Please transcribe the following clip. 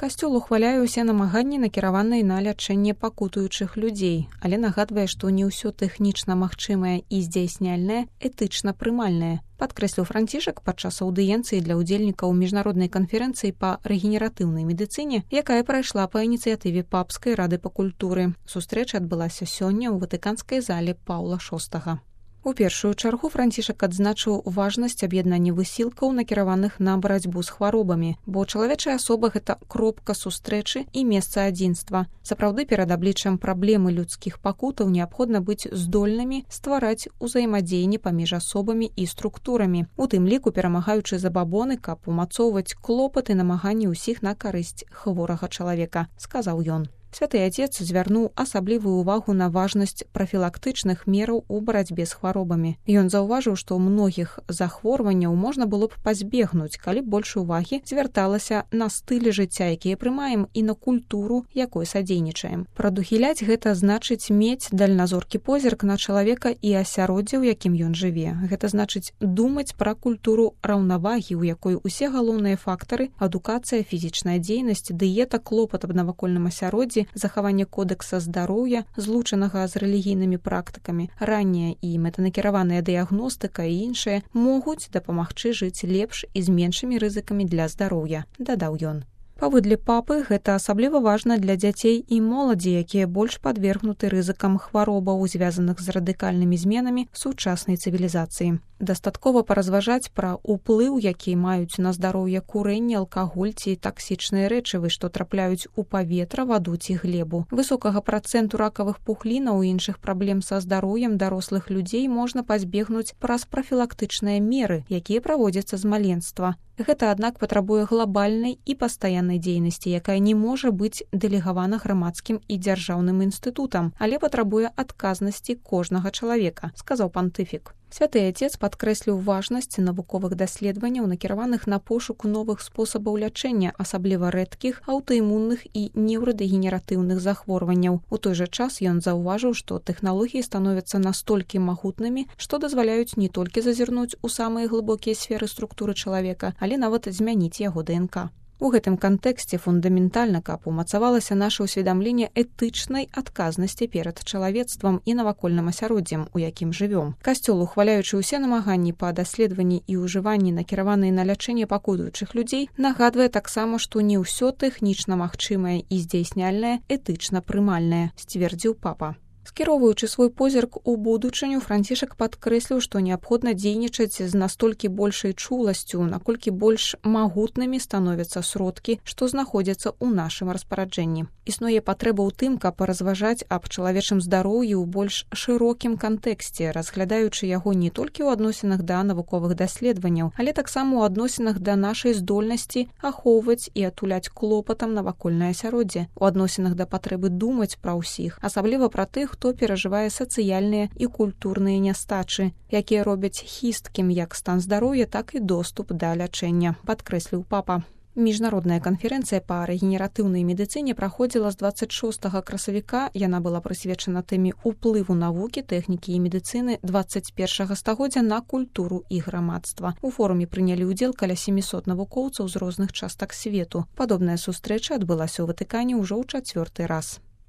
Касцёл ухваляе ўсе намаганні, накіраваныя на лячэнне пакутуючых людзей, але нагадвае, што не ўсё тэхнічна магчымае і здзяйсняльнае этычна прымальнае. Падкрэсліў Францішак падчас аўдыенцыі для ўдзельнікаў міжнароднай канферэнцыі па рэгенератыўнай медыцыне, якая прайшла па ініцыятыве Папскай рады па культуры. Сустрэча адбылася сёння ў ватыканскай зале Паўла VI. У першую чаргу Францішак адзначыў важнасць аб'яднання высілкаў, накіраваных на барацьбу з хваробамі, бо чалавечая асоба – гэта кропка сустрэчы і месца адзінства. Сапраўды, перад абліччам праблемы людскіх пакутаў неабходна быць здольнымі ствараць узаемадзеянне паміж асобамі і структурамі, у тым ліку перамагаючы забабоны, каб умацоўваць клопаты і намаганні ўсіх на карысць хворага чалавека, сказаў ён. Святы Отец звярнуў асаблівую ўвагу на важнасць прафілактычных мераў у барацьбе з хваробамі. Ён заўважыў, што многіх захворванняў можна было б пазбегнуць, калі больш увагі звярталася на стылі жыцця, якія прымаем, і на культуру, якой садзейнічаем. Прадухіляць гэта значыць мець дальназоркі позірк на чалавека і асяроддзе, у якім ён жыве. Гэта значыць думаць пра культуру раўнавагі, у якой усе галоўныя фактары – адукацыя, фізічная дзейнасць, дыета, клопат аб навакольным асяроддзі, захаванне кодэкса здароўя, злучанага з рэлігійнымі практыкамі, ранняя і мэтанакіраваная дыягностыка і іншыя могуць дапамагчы жыць лепш і з меншымі рызыкамі для здароўя, дадаў ён. Паводле папы, гэта асабліва важна для дзяцей і моладзі, якія больш падвергнуты рызыкам хваробаў, звязаных з радыкальнымі зменамі сучаснай цывілізацыі. Дастаткова паразважаць пра ўплыў, які маюць на здароўе курэнне, алкаголь ці таксічныя рэчывы, што трапляюць у паветра, ваду ці глебу. Высокага працэнту ракавых пухлінаў і іншых праблем са здароўем дарослых людзей можна пазбегнуць праз прафілактычныя меры, якія праводзяцца з маленства. Гэта, аднак, патрабуе глобальнай і пастаяннай дзейнасці, якая не можа быць дэлегавана грамадскім і дзяржаўным інстытутам, але патрабуе адказнасці кожнага чалавека, сказаў пантыфік. Святы Отец падкрэсліў важнасць навуковых даследаванняў, накіраваных на пошук новых спосабаў лячэння, асабліва рэдкіх, аўтаімунных і неўрадэгенератыўных захворванняў. У той жа час ён заўважыў, што тэхналогіі становяцца настолькі магутнымі, што дазваляюць не толькі зазірнуць у самыя глыбокія сферы структуры чалавека, але нават змяніць яго ДНК. У гэтым кантэксце фундаментальна, каб умацавалася наша ўсведамленне этычнай адказнасці перад чалавецтвам і навакольным асяроддзем, у якім жывём. Касцёл, ухваляючы ўсе намаганні па даследаванні і ўжыванні, накіраваныя на лячэнне пакутуючых людзей, нагадвае таксама, што не ўсё тэхнічна магчымае і здзяйсняльнае этычна прымальнае, сцвердзіў папа. Скіроўваючы свой позірк у будучыню, Францішак падкрэсліў, што неабходна дзейнічаць з настолькі большай чуласцю, наколькі больш магутнымі становяцца сродкі, што знаходзяцца ў нашым распараджэнні. Існуе патрэба ў тым, каб разважаць аб чалавечым здароўі ў больш шырокім кантэксце, разглядаючы яго не толькі ў адносінах да навуковых даследаванняў, але таксама ў адносінах да нашай здольнасці ахоўваць і атуляць клопатам навакольнае асяроддзе, у адносінах да патрэбы думаць пра ўсіх, асабліва пра тых, хто перажывае сацыяльныя і культурныя нястачы, якія робяць хісткім як стан здароўя, так і доступ да лячэння, падкрэсліў папа. Міжнародная канферэнцыя па рэгенератыўнай медыцыне праходзіла з 26 красавіка. Яна была прысвечана тэме ўплыву навукі, тэхнікі і медыцыны 21 стагоддзя на культуру і грамадства. У форуме прынялі ўдзел каля 700 навукоўцаў з розных частак свету. Падобная сустрэча адбылася ў Ватыкане ўжо ў 4-й раз.